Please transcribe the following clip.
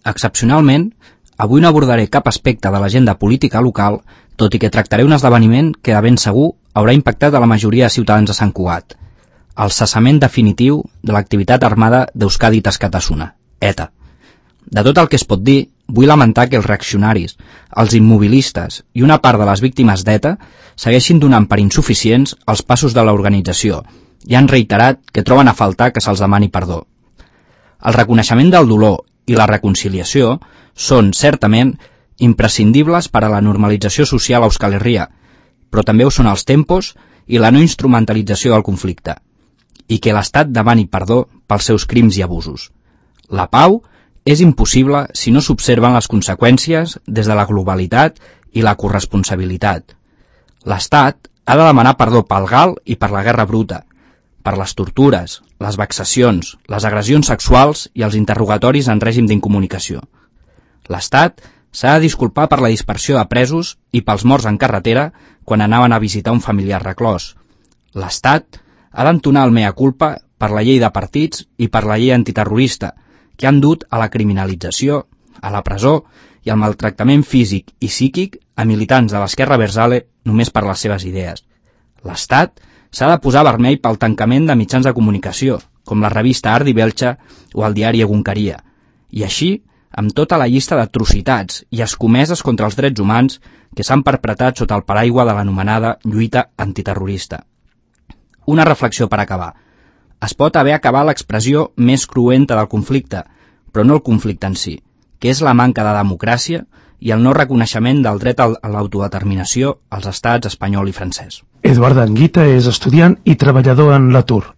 Excepcionalment, avui no abordaré cap aspecte de l'agenda política local, tot i que tractaré un esdeveniment que de ben segur haurà impactat a la majoria de ciutadans de Sant Cugat: el cessament definitiu de l'activitat armada d'Euskadi Askatasuna, ETA. De tot el que es pot dir, vull lamentar que els reaccionaris, els immobilistes i una part de les víctimes d'ETA segueixin donant per insuficients els passos de l'organització i han reiterat que troben a faltar que se'ls demani perdó. El reconeixement del dolor i la reconciliació són, certament, imprescindibles per a la normalització social a Euskal Herria, però també ho són els tempos i la no instrumentalització del conflicte, i que l'Estat demani perdó pels seus crims i abusos. La pau és impossible si no s'observen les conseqüències des de la globalitat i la corresponsabilitat. L'Estat ha de demanar perdó pel GAL i per la guerra bruta, per les tortures, les vexacions, les agressions sexuals i els interrogatoris en règim d'incomunicació. L'Estat s'ha de disculpar per la dispersió de presos i pels morts en carretera quan anaven a visitar un familiar reclòs. L'Estat ha d'entonar el mea culpa per la llei de partits i per la llei antiterrorista, que han dut a la criminalització, a la presó i al maltractament físic i psíquic a militants de l'esquerra abertzale només per les seves idees. L'Estat s'ha de posar vermell pel tancament de mitjans de comunicació, com la revista Ardi Belcha o el diari Egunkaria, i així amb tota la llista d'atrocitats i escomeses contra els drets humans que s'han perpetrat sota el paraigua de l'anomenada lluita antiterrorista. Una reflexió per acabar. Es pot haver acabat l'expressió més cruenta del conflicte, però no el conflicte en si, que és la manca de democràcia i el no reconeixement del dret a l'autodeterminació als estats espanyol i francès. Eduard Anguita és estudiant i treballador en l'atur.